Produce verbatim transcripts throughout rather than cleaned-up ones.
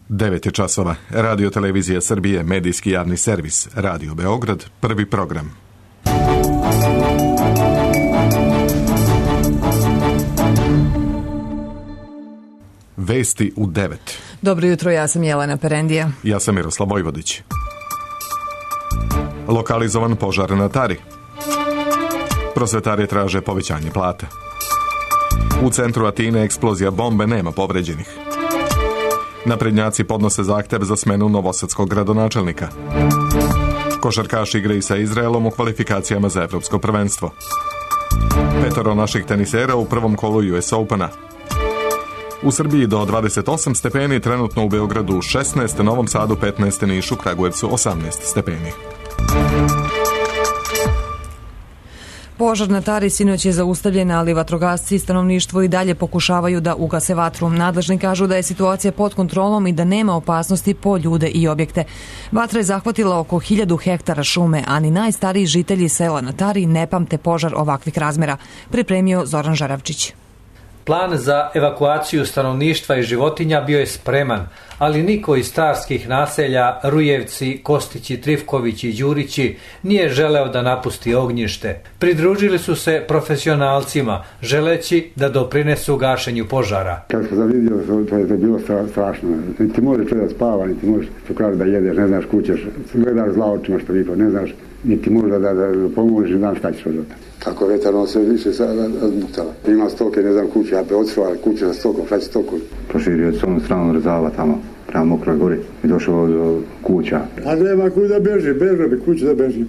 devet je časova. Radio Televizija Srbije, medijski javni servis. Radio Beograd, prvi program. Vesti u devet. Dobro jutro, ja sam Jelena Perendija. Ja sam Miroslav Vojvodić. Lokalizovan požar na Tari. Prosvetari traže povećanje plata. U centru Atine eksplozija bombe, nema povređenih. Naprednjaci podnose zahtev za smenu novosadskog gradonačelnika. Košarkaši igraju sa Izraelom u kvalifikacijama za evropsko prvenstvo. Petoro naših tenisera u prvom kolu U S Opena. U Srbiji do dvadeset osam stepeni, trenutno u Beogradu šesnaest, Novom Sadu petnaest, Nišu, Kragujevcu osamnaest stepeni. Požar na Tari sinoć je zaustavljen, ali vatrogasci i stanovništvo i dalje pokušavaju da ugase vatru. Nadležni kažu da je situacija pod kontrolom i da nema opasnosti po ljude i objekte. Vatra je zahvatila oko hiljadu hektara šume, a ni najstariji žitelji sela na Tari ne pamte požar ovakvih razmera, pripremio Zoran Žaravčić. Plan za evakuaciju stanovništva i životinja bio je spreman, ali niko iz starskih naselja Rujevci, Kostići, Trifkovići i Đurići nije želeo da napusti ognjište. Pridružili su se profesionalcima, želeći da doprinesu gašenju požara. Kad sam vidio, to je bilo strašno. Ti možeš da spava, niti možeš da jedeš, ne znaš kućeš, gledaš zla očima što vidio, ne znaš, niti možeš da, da, da pomožeš, ne znaš šta ćeš od toga. Tako vetarno se više razmutala. Ima stoke, ne znam, kuće, a odsvala kuće sa stokom, šta će stoku? Proširio s ovom stranom Rezava tamo, prema Mokroj gori i došao do kuća. A nema kuć da beži, bežo bi kuće da beži.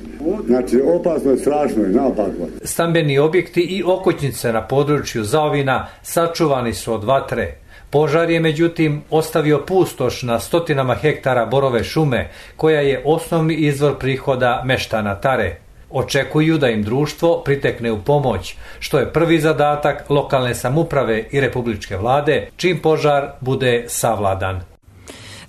Znači, opasno je, strašno je, naopako. Stambeni objekti i okućnice na području Zaovina sačuvani su od vatre. Požar je međutim ostavio pustoš na stotinama hektara borove šume, koja je osnovni izvor prihoda meštana Tare. Očekuju da im društvo pritekne u pomoć, što je prvi zadatak lokalne samouprave i republičke vlade, čim požar bude savladan.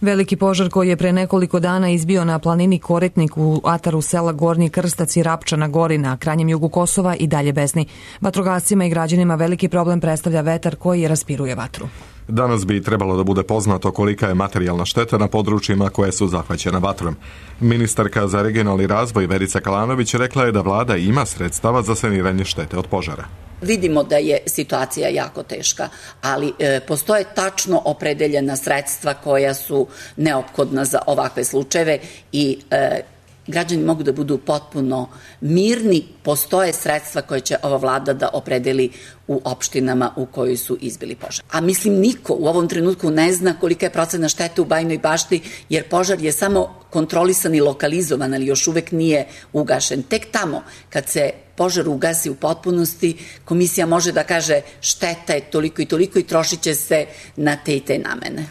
Veliki požar koji je pre nekoliko dana izbio na planini Koretnik u ataru sela Gornji Krstac i Rapčana Gori na krajnjem jugu Kosova i dalje besni. Vatrogascima i građanima veliki problem predstavlja vetar koji raspiruje vatru. Danas bi trebalo da bude poznato kolika je materijalna šteta na područjima koje su zahvaćena vatrom. Ministarka za regionalni razvoj Verica Kalanović rekla je da vlada ima sredstava za saniranje štete od požara. Vidimo da je situacija jako teška, ali e, postoje tačno opredeljena sredstva koja su neophodna za ovakve slučajeve i e, građani mogu da budu potpuno mirni. Postoje sredstva koje će ova vlada da opredeli u opštinama u kojoj su izbili požar. A mislim, niko u ovom trenutku ne zna kolika je procena štete u Bajinoj Bašti, jer požar je samo kontrolisan i lokalizovan, ali još uvek nije ugašen. Tek tamo, kad se požar ugasi u potpunosti, komisija može da kaže šteta je toliko i toliko i trošit će se na te i te namene.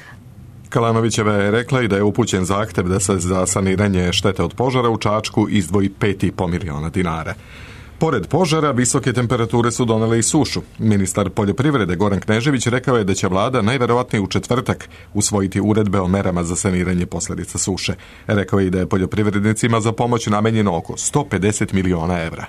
Kalanovićeva je rekla i da je upućen zahtev da se za saniranje štete od požara u Čačku izdvoji pet i po miliona dinara. Pored požara, visoke temperature su donele i sušu. Ministar poljoprivrede Goran Knežević rekao je da će vlada najverovatnije u četvrtak usvojiti uredbe o merama za saniranje posljedica suše. Rekao je i da je poljoprivrednicima za pomoć namenjeno oko sto pedeset miliona evra.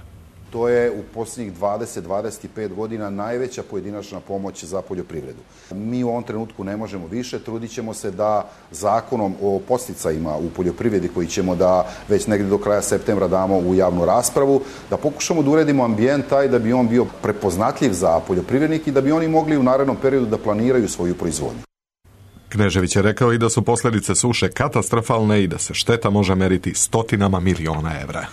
To je u posljednjih dvadeset do dvadeset pet godina najveća pojedinačna pomoć za poljoprivredu. Mi u ovom trenutku ne možemo više, trudit ćemo se da zakonom o podsticajima u poljoprivredi koji ćemo da već negdje do kraja septembra damo u javnu raspravu, da pokušamo da uredimo ambijent taj da bi on bio prepoznatljiv za poljoprivrednike i da bi oni mogli u narednom periodu da planiraju svoju proizvodnju. Knežević je rekao i da su posljedice suše katastrofalne i da se šteta može meriti stotinama miliona evra.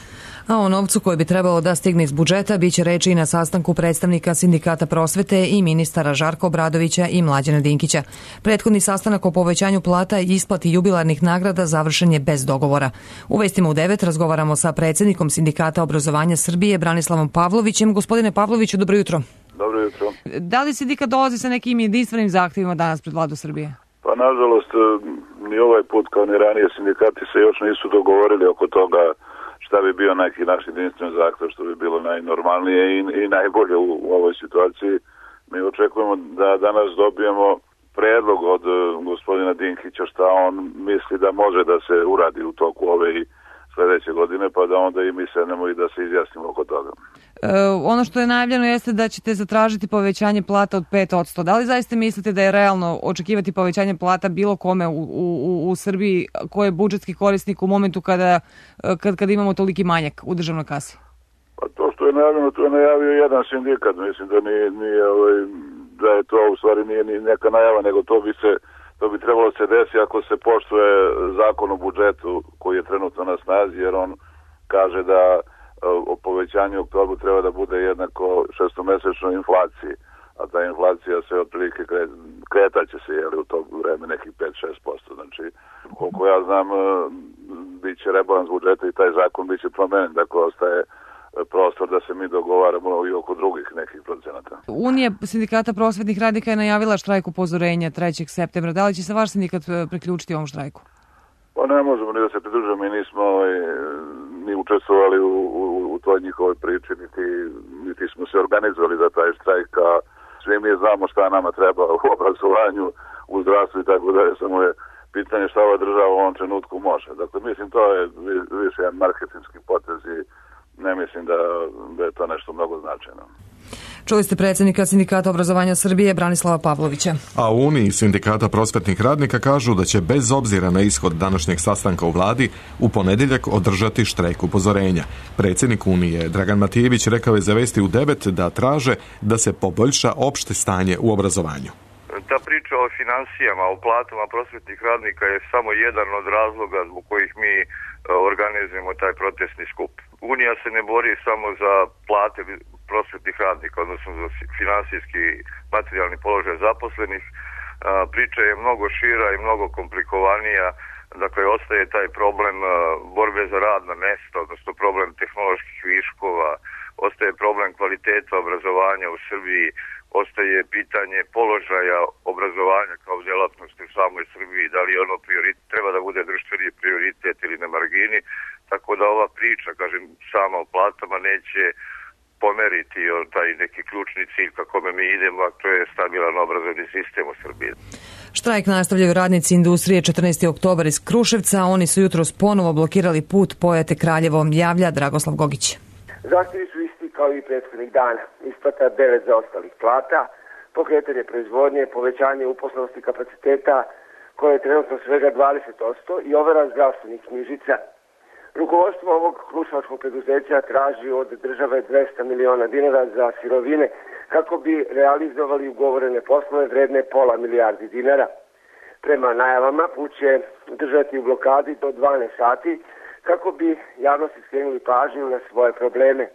A o novcu koji bi trebalo da stigne iz budžeta biće reči i na sastanku predstavnika Sindikata prosvete i ministara Žarka Obradovića i Mlađana Dinkića. Prethodni sastanak o povećanju plata i isplati jubilarnih nagrada završen je bez dogovora. U vestima u devet razgovaramo sa predsjednikom Sindikata obrazovanja Srbije Branislavom Pavlovićem. Gospodine Pavloviću, dobro jutro. Dobro jutro. Da li sindikat dolazi sa nekim jedinstvenim zahtjevima danas pred vladu Srbije? Pa nažalost, ni ovaj put kao ni ranije sindikati se još nisu dogovorili oko toga šta bi bio neki naš jedinstven zahtjev, što bi bilo najnormalnije i, i najbolje u, u ovoj situaciji. Mi očekujemo da danas dobijemo predlog od uh, gospodina Dinkića šta on misli da može da se uradi u toku ove i sljedeće godine, pa da onda i mi sednemo i da se izjasnimo oko toga. ono što je najavljeno jeste da ćete zatražiti povećanje plata od pet posto. Da li zaista mislite da je realno očekivati povećanje plata bilo kome u, u, u Srbiji ko je budžetski korisnik u momentu kada, kad, kada imamo toliki manjak u državnoj kasi? Pa to što je najavljeno, to je najavio jedan sindikat. Mislim da nije, nije ovaj, da je to u stvari nije ni neka najava, nego to bi se to bi trebalo se desiti ako se poštuje zakon o budžetu koji je trenutno na snazi, jer on kaže da o povećanju u oktobru treba da bude jednako šestomesečnoj inflaciji, a ta inflacija se otprilike kretaće se jeli, u to vreme nekih pet do šest posto. Znači, koliko ja znam, bit će rebalans budžeta i taj zakon bit će promenjen, dakle ostaje prostor da se mi dogovaramo i oko drugih nekih procenata. Unija sindikata prosvetnih radnika je najavila štrajk upozorenja trećeg septembra. Da li će se vaš sindikat priključiti ovom štrajku? Pa ne možemo ni da se pridružimo, mi nismo ni učestvovali u, u, u toj njihovoj priči, niti, niti smo se organizovali za taj štrajk, a svi mi znamo šta nama treba u obrazovanju, u zdravstvu i tako dalje, samo je pitanje šta ova država u ovom trenutku može. Dakle, mislim, to je više jedan marketinški potez i ne mislim da, da je to nešto mnogo značajno. Čuli ste predsjednika Sindikata obrazovanja Srbije Branislava Pavlovića. A u Uniji Sindikata prosvetnih radnika kažu da će bez obzira na ishod današnjeg sastanka u vladi u ponedjeljak održati štrajk upozorenja. Predsjednik Unije Dragan Matijević rekao je za Vesti u devet da traže da se poboljša opšte stanje u obrazovanju. Ta priča o financijama, o platama prosvetnih radnika je samo jedan od razloga zbog kojih mi organizujemo taj protestni skup. Unija se ne bori samo za plate prosvetnih radnika, odnosno za finansijski materijalni položaj zaposlenih. Priča je mnogo šira i mnogo komplikovanija. Dakle, ostaje taj problem borbe za radna mesta, odnosno problem tehnoloških viškova, ostaje problem kvaliteta obrazovanja u Srbiji, ostaje pitanje položaja obrazovanja kao djelatnosti u samoj Srbiji, da li ono prioritet, treba da bude društveni prioritet ili na margini, tako da ova priča, kažem, sama o platama neće pomeriti taj neki ključni cilj kako mi idemo, a to je stabilan obrazovni sistem u Srbiji. Štrajk nastavljaju radnici industrije četrnaesti oktobar iz Kruševca, oni su jutros ponovo blokirali put Pojate Kraljevo, javlja Dragoslav Gogić. Zahtjevi su isti kao i prethodnih dana. Isplata devet zaostalih plata, pokretanje proizvodnje, povećanje uposlenosti kapaciteta koje je trenutno svega dvadeset posto i overa zdravstvenih knjižica. Rukovodstvo ovog kruševačkog preduzeća traži od države dvesta miliona dinara za sirovine kako bi realizovali ugovorene poslove vredne pola milijardi dinara. Prema najavama put će držati u blokadi do dvanaest sati kako bi javnosti skrenuli pažnju na svoje probleme.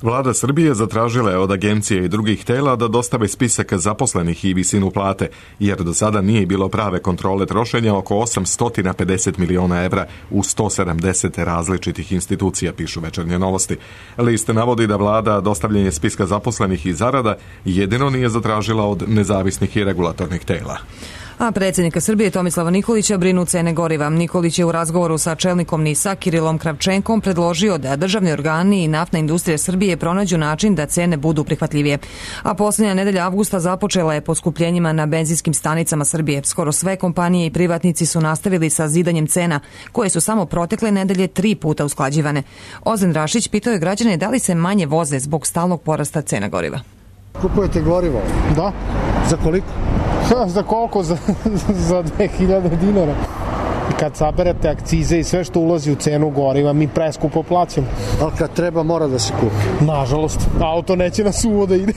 Vlada Srbije zatražila je od agencije i drugih tela da dostave spisak zaposlenih i visinu plate, jer do sada nije bilo prave kontrole trošenja oko osamsto pedeset miliona evra u sto sedamdeset različitih institucija, pišu Večernje novosti. List navodi da vlada dostavljanje spiska zaposlenih i zarada jedino nije zatražila od nezavisnih i regulatornih tela. A predsjednika Srbije Tomislava Nikolića brinu cene goriva. Nikolić je u razgovoru sa čelnikom NIS-a Kirilom Kravčenkom predložio da državni organi i naftna industrija Srbije pronađu način da cene budu prihvatljivije. A posljednja nedelja avgusta započela je poskupljenjima na benzinskim stanicama Srbije. Skoro sve kompanije i privatnici su nastavili sa zidanjem cena, koje su samo protekle nedelje tri puta usklađivane. Ozren Rašić pitao je građane da li se manje voze zbog stalnog porasta cena goriva. Kupujete gorivo? Da. Za koliko? Za koliko? Za, za dve hiljade dinara. Kad saberete akcize i sve što ulazi u cenu goriva, mi preskupo plaćamo. Ali kad treba, mora da se kupi. Nažalost, auto neće na suvo da ide.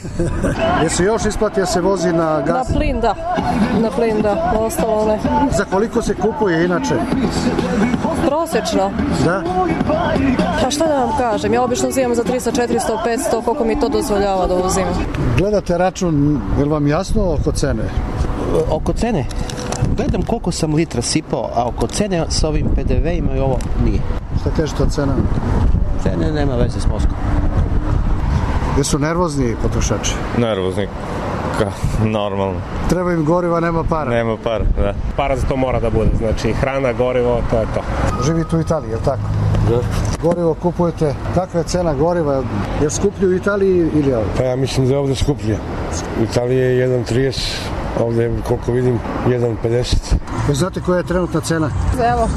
Jer se još isplati da se vozi na gas? Na plin, da. Na plin, da. Ostalo ne. Za koliko se kupuje inače? Prosečno. Da? Pa šta da vam kažem, ja obično uzimam za tristo, četiristo, petsto, koliko mi to dozvoljava da uzimam. Gledate račun, je li vam jasno oko cene? Oko cene? Gledam koliko sam litra sipao, a oko cene sa ovim pe de veima i ovo nije. Šta kažete o cenama? Cene nema veze s mozgom. Jesu nervozni potrošači? Nervozni, ka, normalno. Treba im goriva, nema para? Nema para, da. Para za to mora da bude, znači hrana, gorivo, to je to. Živite u Italiji, je li tako? Da. Gorivo kupujete, kakva je cena goriva? Je skuplje u Italiji ili ovdje? Pa ja mislim da je ovdje skuplje. U Italiji je jedan trideset, ovdje koliko vidim jedan pedeset. Vi znate koja je trenutna cena? Evo,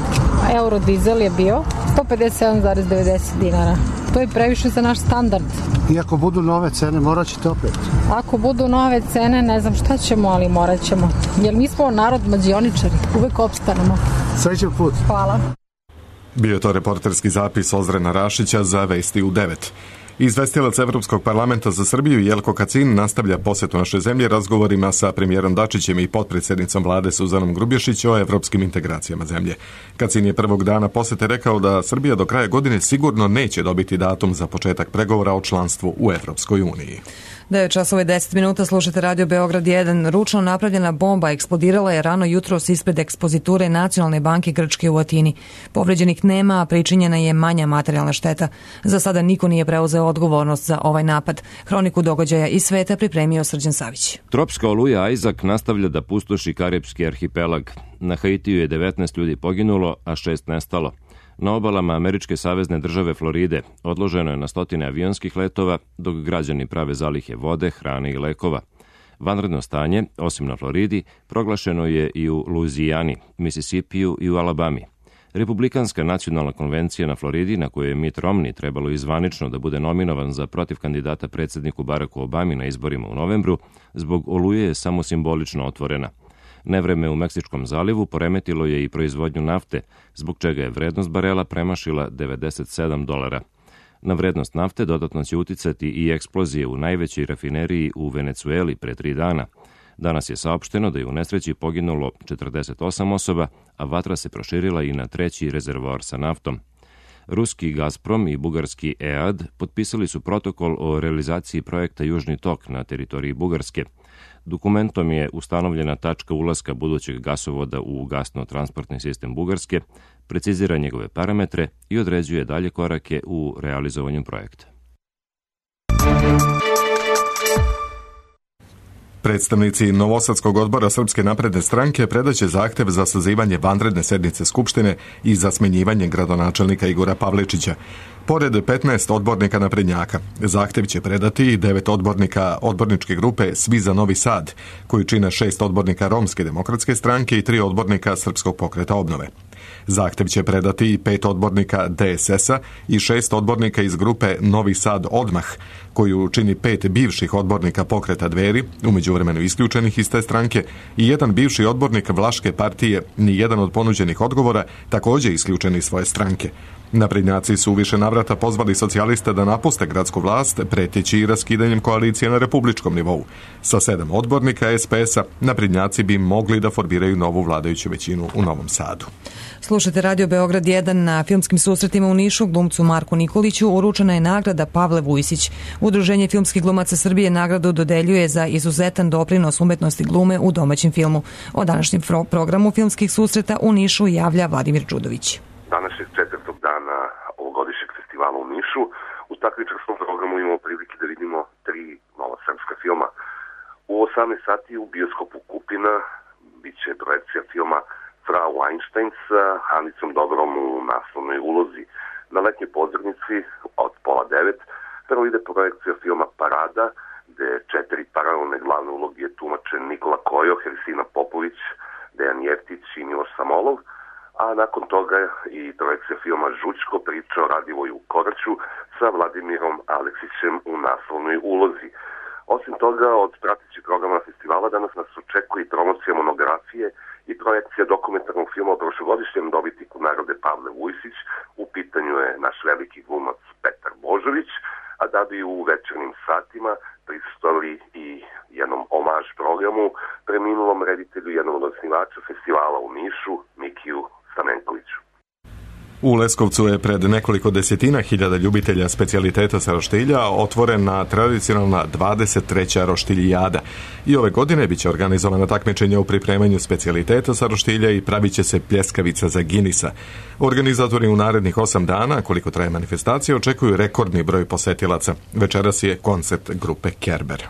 euro dizel je bio sto pedeset sedam zarez devedeset dinara. To je previše za naš standard. I ako budu nove cene, morat ćete opet? Ako budu nove cene, ne znam šta ćemo, ali morat ćemo. Jer mi smo narod mađioničari, uvek opstanemo. Srećan put. Hvala. Bio je to reporterski zapis Ozrena Rašića za Vesti u devet. Izvestilac Evropskog parlamenta za Srbiju Jelko Kacin nastavlja posetu naše zemlje razgovorima sa premijerom Dačićem i potpredsjednicom vlade Suzanom Grubješić o evropskim integracijama zemlje. Kacin je prvog dana posete rekao da Srbija do kraja godine sigurno neće dobiti datum za početak pregovora o članstvu u Evropskoj uniji. devet časova i deset minuta, slušate Radio Beograd jedan. Ručno napravljena bomba eksplodirala je rano jutros ispred ekspoziture Nacionalne banke Grčke u Atini. Povređenih nema, a pričinjena je manja materijalna šteta. Za sada niko nije preuzeo odgovornost za ovaj napad. Hroniku događaja iz sveta pripremio Srđan Savić. Tropska oluja Isaac nastavlja da pustoši Karipski arhipelag. Na Haitiju je devetnaest ljudi poginulo, a šest nestalo. Na obalama američke savezne države Floride odloženo je na stotine avionskih letova, dok građani prave zalihe vode, hrane i lekova. Vanredno stanje, osim na Floridi, proglašeno je i u Luizijani, Misisipiju i u Alabami. Republikanska nacionalna konvencija na Floridi, na kojoj je Mitt Romney trebalo izvanično da bude nominovan za protiv kandidata predsjedniku Baracku Obami na izborima u novembru, zbog oluje je samo simbolično otvorena. Nevreme u Meksičkom zalivu poremetilo je i proizvodnju nafte, zbog čega je vrednost barela premašila devedeset sedam dolara. Na vrednost nafte dodatno će uticati i eksplozije u najvećoj rafineriji u Venecueli pre tri dana. Danas je saopšteno da je u nesreći poginulo četrdeset osam osoba, a vatra se proširila i na treći rezervoar sa naftom. Ruski Gazprom i bugarski E A D potpisali su protokol o realizaciji projekta Južni tok na teritoriji Bugarske. Dokumentom je ustanovljena tačka ulaska budućeg gasovoda u gasno-transportni sistem Bugarske, precizira njegove parametre i određuje dalje korake u realizovanju projekta. Predstavnici Novosadskog odbora Srpske napredne stranke predaće zahtev za sazivanje vanredne sednice Skupštine i za smenjivanje gradonačelnika Igora Pavličića. Pored petnaest odbornika naprednjaka, zahtev će predati i devet odbornika odborničke grupe Svi za Novi Sad, koji čine šest odbornika Romske demokratske stranke i tri odbornika Srpskog pokreta obnove. Zahtev će predati i pet odbornika D S S-a i šest odbornika iz grupe Novi Sad odmah, koju čini pet bivših odbornika pokreta Dveri, u međuvremenu isključenih iz te stranke, i jedan bivši odbornik Vlaške partije, ni jedan od ponuđenih odgovora, također isključeni iz svoje stranke. Naprednjaci su u više navrata pozvali socijaliste da napuste gradsku vlast, preteći i raskidanjem koalicije na republičkom nivou. Sa sedam odbornika S P S-a, naprednjaci bi mogli da formiraju novu vladajuću većinu u Novom Sadu. Slušajte Radio Beograd jedan. Na filmskim susretima u Nišu glumcu Marku Nikoliću uručena je nagrada Pavle Vujsić. Udruženje filmskih glumaca Srbije nagradu dodeljuje za izuzetan doprinos umetnosti glume u domaćem filmu. O današnjem programu filmskih susreta u Nišu javlja Vladimir Đudović. Današnjeg četvrtog dana ovogodišnjeg festivala u Nišu u takmičarskom programu imamo prilike da vidimo tri nova srpska filma. U osamnaest sati u bioskopu Kupina biće projekcija filma Frau Einstein sa Anicom Dobrom u naslovnoj ulozi. Na letnjoj pozornici od pola devet prvo ide projekcija filma Parada, gde četiri paralelne glavne uloge tumače Nikola Kojo, Hersina Popović, Dejan Jeftić i Miloš Samolov, a nakon toga i projekcija filma Žučko, priča o Radivoju Koraću sa Vladimirom Aleksićem u naslovnoj ulozi. Osim toga, od pratećih programa festivala danas nas očekuje i promocija monografije i projekcija dokumentarnog filma o prošlogodišnjem dobitniku nagrade Pavle Vujsić. U pitanju je naš veliki glumac Petar Božović, a da bi u večernjim satima prisustvovali i jednom omaž programu preminulom reditelju, jednom od osnivača festivala u Nišu, Mikiju Stamenkoviću. U Leskovcu je pred nekoliko desetina hiljada ljubitelja specijaliteta sa roštilja otvorena tradicionalna dvadeset treća roštiljijada. I ove godine biće organizovana takmičenja u pripremanju specijaliteta sa roštilja i pravit će se pljeskavica za Guinnessa. Organizatori u narednih osam dana, koliko traje manifestacija, očekuju rekordni broj posetilaca. Večeras je koncert grupe Kerber.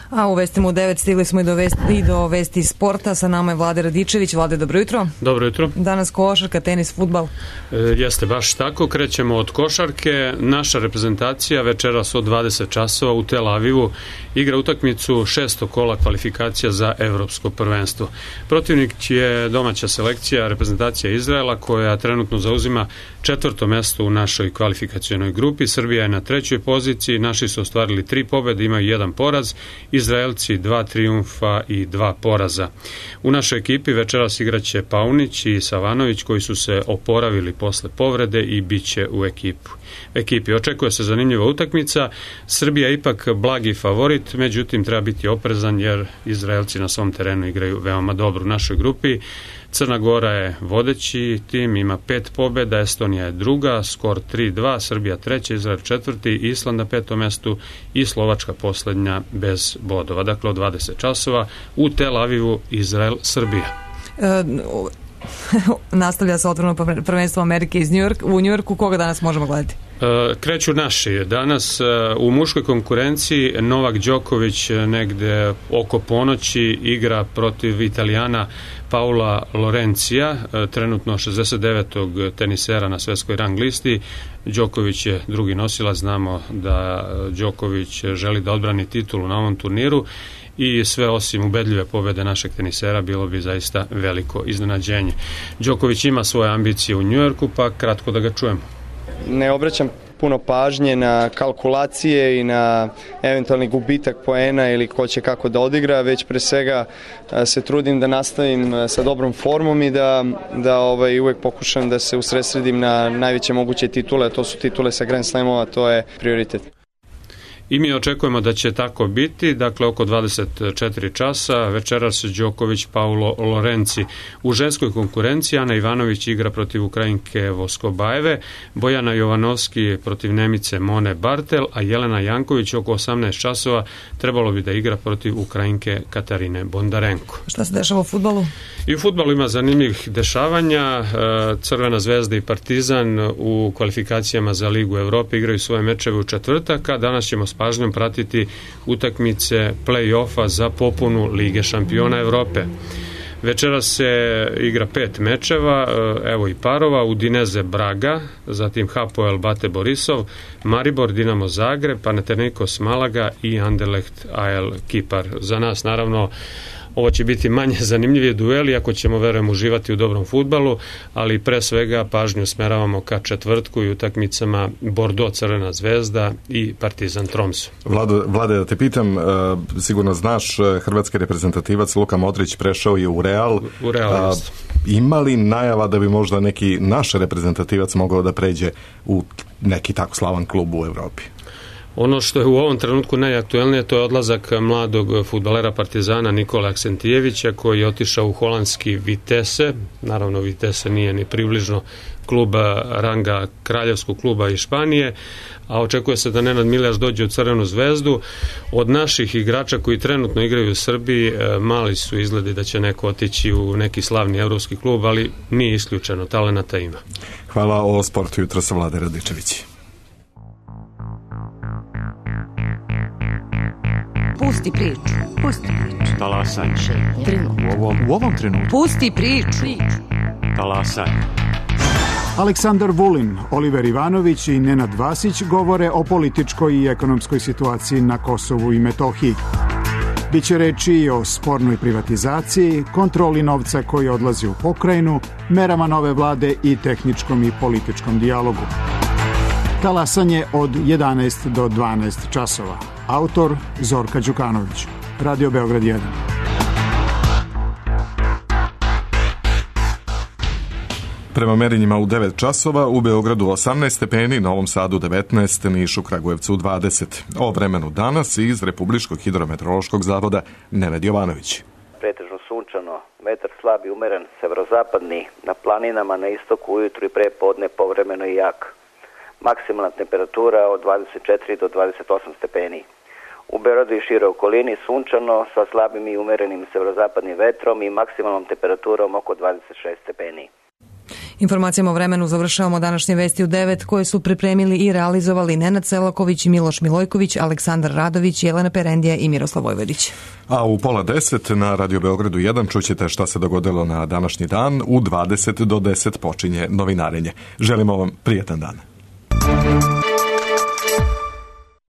A u vestima u devet stigli smo i do, vesti, i do vesti sporta. Sa nama je Vlade Radičević. Vlade, dobro jutro. Dobro jutro. Danas košarka, tenis, fudbal. E, jeste baš tako. Krećemo od košarke. Naša reprezentacija večeras od dvadeset časova u Tel Avivu igra utakmicu šestog kola kvalifikacija za evropsko prvenstvo. Protivnik je domaća selekcija, reprezentacija Izraela, koja trenutno zauzima četvrto mesto u našoj kvalifikacionoj grupi. Srbija je na trećoj poziciji. Naši su ostvarili tri pobjede, imaju jedan poraz. Izraelci dva trijumfa i dva poraza. U našoj ekipi večeras igraće Paunić i Savanović, koji su se oporavili posle povrede i bit će u ekipu. ekipi. Očekuje se zanimljiva utakmica. Srbija je ipak blagi favorit, međutim treba biti oprezan jer Izraelci na svom terenu igraju veoma dobro u našoj grupi. Crna Gora je vodeći tim, ima pet pobjeda, Estonija je druga, skor tri dva, Srbija treća, Izrael četvrti, Island na petom mestu i Slovačka posljednja bez bodova. Dakle, od dvadeset časova u Tel Avivu, Izrael, Srbija. E, nastavlja se otvoreno prvenstvo Amerike iz Njujork, u Njujorku. Koga danas možemo gledati? Kreću naši. Danas u muškoj konkurenciji Novak Đoković negde oko ponoći igra protiv Italijana Paula Lorencija, trenutno šezdeset devetog tenisera na svetskoj rang listi. Đoković je drugi nosilac, znamo da Đoković želi da odbrani titulu na ovom turniru i sve osim ubedljive pobjede našeg tenisera bilo bi zaista veliko iznenađenje. Đoković ima svoje ambicije u Njujorku, pa kratko da ga čujemo. Ne obraćam puno pažnje na kalkulacije i na eventualni gubitak poena ili ko će kako da odigra, već pre svega se trudim da nastavim sa dobrom formom i da, da ovaj, uvek pokušam da se usredsredim na najveće moguće titule, a to su titule sa Grand Slamova, to je prioritet. I mi očekujemo da će tako biti, dakle oko dvadeset četiri časa, večeras Đoković Paulo Lorenci. U ženskoj konkurenciji Ana Ivanović igra protiv Ukrajinke Voskobajeve, Bojana Jovanovski protiv Nemice Mone Bartel, a Jelena Janković oko osamnaest časova trebalo bi da igra protiv Ukrajinke Katarine Bondarenko. Šta se dešava u fudbalu? I u fudbalu ima zanimljivih dešavanja. Crvena zvezda i Partizan u kvalifikacijama za Ligu Evrope igraju svoje mečeve u četvrtak, a danas ćemo s pažnjom pratiti utakmice play-offa za popunu Lige šampiona Evrope. Večera se igra pet mečeva, evo i parova, Udineze Braga, zatim Hapoel Bate Borisov, Maribor Dinamo Zagreb, Panathinaikos Malaga i Anderlecht A L Kipar. Za nas naravno ovo će biti manje zanimljivije dueli, ako ćemo, verujem, uživati u dobrom fudbalu, ali pre svega pažnju smeravamo ka četvrtku i utakmicama Bordeaux Crvena zvezda i Partizan Tromso. Vlado, Vlade, da te pitam, sigurno znaš, hrvatski reprezentativac Luka Modrić prešao je u Real. U Real, jest. Ima li najava da bi možda neki naš reprezentativac mogao da pređe u neki tako slavan klub u Evropi? Ono što je u ovom trenutku najaktuelnije, to je odlazak mladog fudbalera Partizana Nikola Aksentijevića, koji je otišao u holandski Vitesse. Naravno, Vitesse nije ni približno kluba ranga kraljevskog kluba iz Španije, a očekuje se da Nenad Miljaš dođe u Crvenu zvezdu. Od naših igrača koji trenutno igraju u Srbiji, mali su izgledi da će neko otići u neki slavni evropski klub, ali nije isključeno, talenata ima. Hvala. O sportu jutro sa Vlade Radičević. Pusti priču. Pusti priču. Talasaj. U ovom, u ovom trenutku. Pusti priču. Talasaj. Aleksandar Vulin, Oliver Ivanović i Nenad Vasić govore o političkoj i ekonomskoj situaciji na Kosovu i Metohiji. Biće reči i o spornoj privatizaciji, kontroli novca koji odlazi u pokrajinu, merama nove vlade i tehničkom i političkom dijalogu. Talasanje od jedanaest do dvanaest časova. Autor Zorka Đukanović. Radio Beograd jedan. Prema merenjima u devet časova, u Beogradu osamnaest stepeni, Novom Sadu devetnaest, Nišu, Kragujevcu dvadeset. O vremenu danas iz Republičkog hidrometeorološkog zavoda Nenad Jovanović. Pretežno sunčano, vetar slab i umeren, severozapadni, na planinama na istoku ujutru i pre podne povremeno i jak. Maksimalna temperatura od dvadeset četiri do dvadeset osam stepeni. U Beogradu i šire okolini sunčano sa slabim i umerenim severozapadnim vetrom i maksimalnom temperaturom oko dvadeset šest stepeni. Informacijama o vremenu završavamo današnje vesti u devet koje su pripremili i realizovali Nenad Selaković, Miloš Milojković, Aleksandar Radović, Jelena Perendija i Miroslav Vojvodić. A u pola deset na Radio Beogradu jedan čućete šta se dogodilo na današnji dan. U dvadeset do deset počinje novinarenje. Želimo vam prijetan dan.